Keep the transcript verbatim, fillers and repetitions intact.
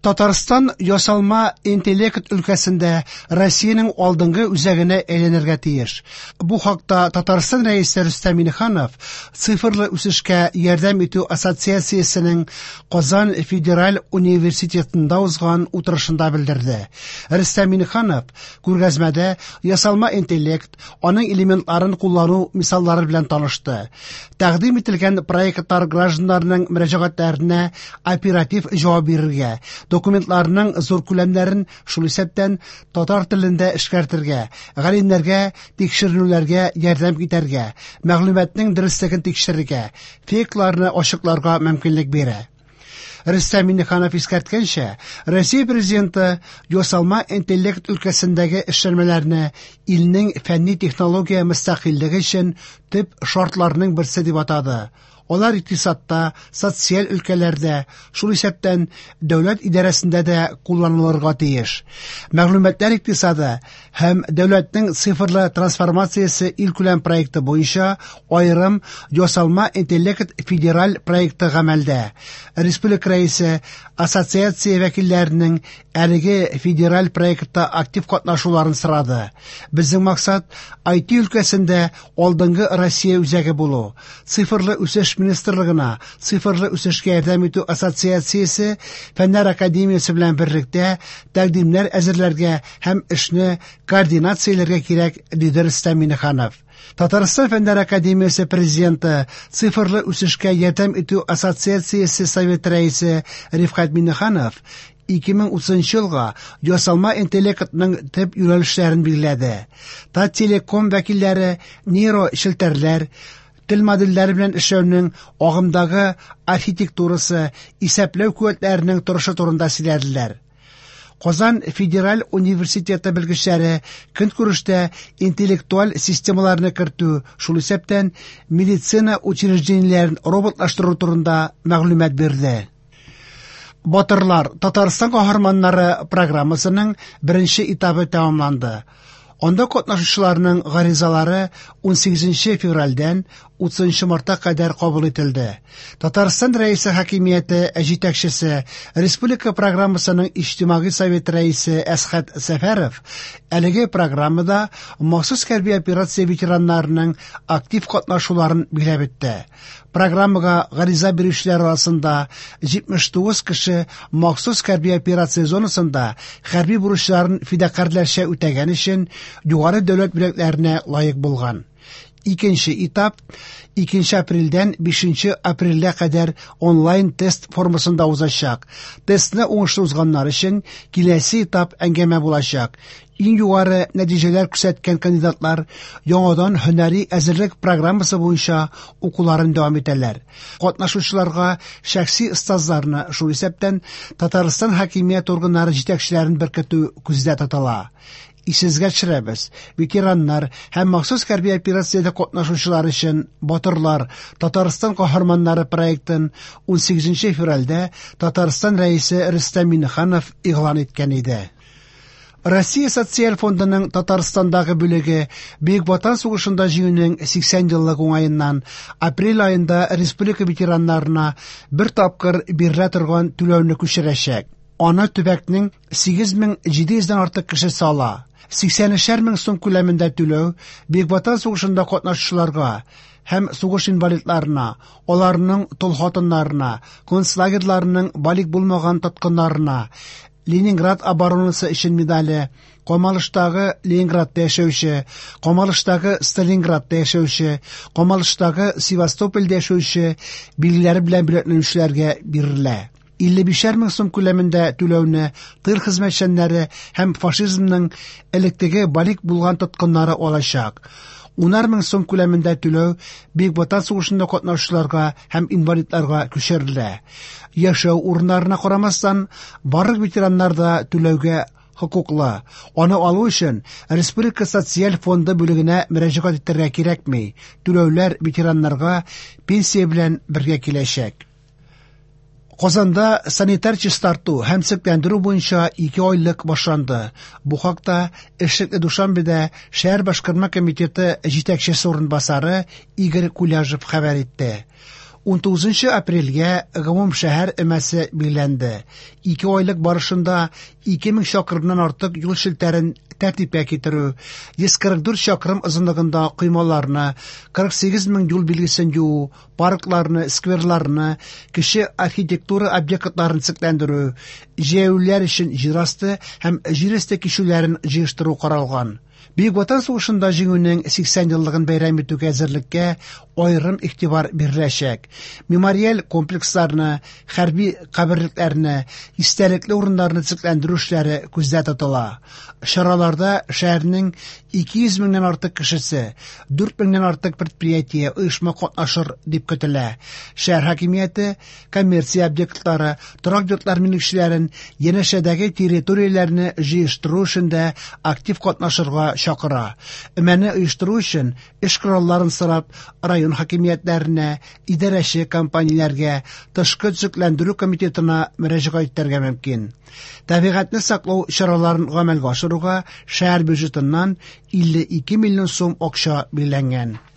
Татарстан ясалма интеллект өлкәсендә Россиянең алдынгы үзәгенә әйләнергә тиеш. Бу хакта Татарстан Рәисе Рөстәм Миңнеханов Цифрлы үсешкә ярдәм итү ассоциациясенең Казан федераль университетында узган утырышында белдерде. Рөстәм Миңнеханов күргәзмәдә ясалма интеллект, аның элементларын куллану мисаллары белән танышты. Тәкъдим ителгән проектлар гражданнарның мөрәҗәгатьләренә оператив җавап бирергә, документларның зур күләмнәрен, шул исәптән татар телендә эшкәртергә, галимнәргә тикшеренүләргә ярдәм итәргә, мәгълүматның дөреслеген тикшерергә, фейкларны ачыкларга мөмкинлек бирә. Рөстәм Миңнеханов искәрткәнчә, Россия Президенты ясалма интеллект өлкәсендәге эшләнмәләрне илнең фәнни-технология мөстәкыйльлеге өчен төп шартларның берсе дип атады. Алар икътисадта, социаль өлкәләрдә, шул исәптән дәүләт идарәсендә дә кулланылырга тиеш. Мәгълүматлар икътисады һәм дәүләтнең цифрлы трансформациясе илкүләм проекты буенча аерым ясалма интеллект федераль проекты гамәлдә. Республика Рәисе ассоциация вәкилләренең әлеге федераль проектта актив катнашуларын сорады. Безнең максат ай ти өлкәсендә алдынгы Россия үзәге булу. Цифрлы үсеш министрлыгына Цифрлы үсешкә ярдәм итү ассоциациясе Фәннәр академиясе белән берлектә тәкъдимнәр әзерләргә һәм эшне координацияләргә кирәк, диде Рөстәм Миңнеханов. Татарстан Фәннәр академиясе президенты, Цифрлы үсешкә ярдәм итү ассоциациясе совет рәисе Рифкать Миңнеханов ике мең утызынчы елга ясалма интеллектның төп юнәлешләрен билгеләде. Таттелеком вәкилләре нейро челтәрләр, тел модельләре белән эшләүнең агымдагы архитектурасы, исәпләү куәтләренең торышы турында сөйләделәр. Казан федераль университеты белгечләре көнкүрештә интеллектуаль системаларны кертү, шул исәптән медицина учреждениеләрен роботлаштыру турында мәгълүмат бирде. Батырлар Татарстан каһарманнары программасының беренче этабы тәмамланды. Анда катнашучыларның гаризалары унсигезенче февральдән утызынчы мартка кадәр кабул ителде. Татарстан Рәисе хакимияте җитәкчесе, республика программасының иҗтимагый совет рәисе Әсхәт Сәфәров әлеге программада махсус хәрби операция ветераннарының актив катнашуларын билгеләп үтте. Программага гариза бирүчеләр арасында җитмеш тугыз кеше махсус хәрби операция зонасында хәрби бурычларын фидакарьләрчә үтәгән өчен югары дәүләт бүләкләренә лаек булган. Икенче этап икенче апрельдән бишенче апрельгә кадәр онлайн тест формасында узачак. Тестны уңышлы узганнар өчен киләсе этап әңгәмә булачак. Иң югары нәтиҗәләр күрсәткән кандидатлар яңадан һөнәри әзерлек программасы буенча укуларын дәвам итәләр. Катнашучыларга шәхси остазларны, шул исәптән Татарстан хакимият органнары җитәкчеләрен беркетү күздә тотыла. Исегезгә төшерәбез, ветераннар һәм махсус хәрби операциядә катнашучылар өчен Батырлар Татарстан каһарманнары проектын унсигезенче февральдә Татарстан Рәисе Рөстәм Миңнеханов игълан иткән иде. Россия Социаль фондының Татарстандагы бүлеге Бөек Ватан сугышында җиңүнең сиксән еллыгы уңаеннан апрель аенда республика ветераннарына бер тапкыр бирелә торган түләүне күчерәчәк. Аны төбәкнең сигез мең җиде йөздән артык кешесе ала. Сиксән өчәр мең сум күләмендә түләү Бөек Ватан сугышында катнашучыларга һәм сугыш инвалидларына, аларның тол хатыннарына, концлагерьларының балигъ булмаган тоткыннарына, Ленинград оборонасы өчен медале, Камалыштагы Ленинградта яшәүче, Камалыштагы Сталинградта яшәүче, Камалыштагы Севастопольдә яшәүче билгеләре белән бүләкләнүчеләргә бирелә. Илле бишәр мең сум күләмендә түләүне тыл хезмәтчәннәре һәм фашизмның электеге балигъ булган тоткыннары алачак. Унар мең сум күләмендә түләү Бөек Ватан сугышында катнашучыларга һәм инвалидларга күчерелә. Яшәү урыннарына карамастан, барлык ветераннар да түләүгә хокуклы. Аны алу өчен Республика социаль фонды бүлегенә мөрәҗәгать итәргә кирәкми. Түләүләр ветераннарга пенсия белән бергә киләчәк. Казанда санитар чистарту һәм төзекләндерү буенча ике айлык башланды. Бу хакта эшлекле Душанбеда шәһәр башкарма комитеты җитәкчесе урынбасары Игорь Куляжев хәбәр итте. Унтугызынчы апрельгә гомумшәһәр өмәсе билгеләнде. Ике айлык барышында ике мең чакрымнан артык юл челтәрен тәртипкә китерү, йөз кырык дүрт чакрым озынлыгында коймаларны, кырык сигез мең юл билгесен юу, паркларны, скверларны, кече архитектура объектларын төзекләндерү, җәяүлеләр өчен җир асты һәм җир өсте кичүләрен җыештыру каралган. Бөек Ватан сугышында җиңүнең сиксән еллыгын бәйрәм итүгә әзерлеккә аерым игътибар биреләчәк. Мемориаль комплексларны, хәрби каберлекләрне, истәлекле урыннарны төзекләндерү эшләре күздә тотыла. Чараларда шәһәрнең ике йөз меңнән артык кешесе, дүрт меңнән артык предприятие, оешма катнашыр дип көтелә. Шәһәр хакимияте коммерция объектлары, торак йортлар милекчеләрен янәшәдәге территорияләрне җыештыру эшендә актив катнашырга чакыра. Өмәне оештыру өчен эш коралларын сорап район хакимиятләренә, идарәче компанияләргә, тышкы төзекләндерү комитетына мөрәҗәгать итәргә мөмкин. Табигатьне саклау чараларын гамәлгә ашыруга шәһәр бюджетыннан илле ике миллион сум акча билгеләнгән.